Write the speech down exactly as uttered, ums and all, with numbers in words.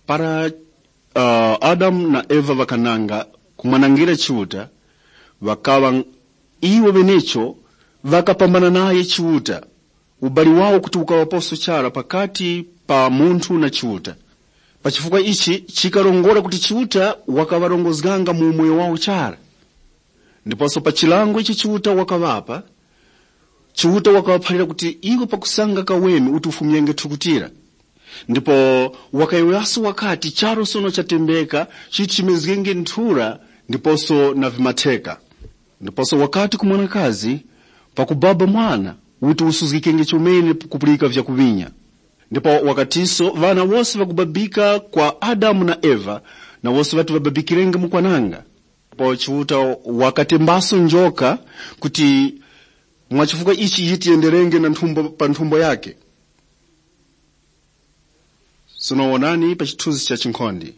Para uh, Adamu na Eva ŵakananga kumwanangira Chiuta, ŵakaŵa iwo ŵenecho ŵakapambana naye Chiuta. Ubali wawo kuti ukaŵaposo chara pakati pa munthu na Chiuta. Pa chifukwa ichi chikarongora kuti Chiuta wakaŵarongozganga mu umoyo wawo chara. Ndiposo pa chilango ichi Chiuta wakaŵapa, Chiuta wakaŵaphalira kuti iwo pakusanga kaweni uti ufumyenge thukutira. Ndipo wakayowoyaso wakati, charu sono chatembeka, chiti chimezgenge nthura ndiposo na vimatheka. Ndiposo wakati ku mwanakazi, pakubaba mwana, uti usuzgikenge chomene kupulika vyakuŵinya. Ndipo wakatiso, ŵana wose ŵakubabika kwa Adamu na Eva, na wose ŵati ŵababikirenge mukwananga. Ndipo Chiuta wakatembaso njoka kuti mwa chifukwa ichi yiti yenderenge na nthumbo pa nthumbo yake. Sono wonani pa chithunzi cha chinkhonde.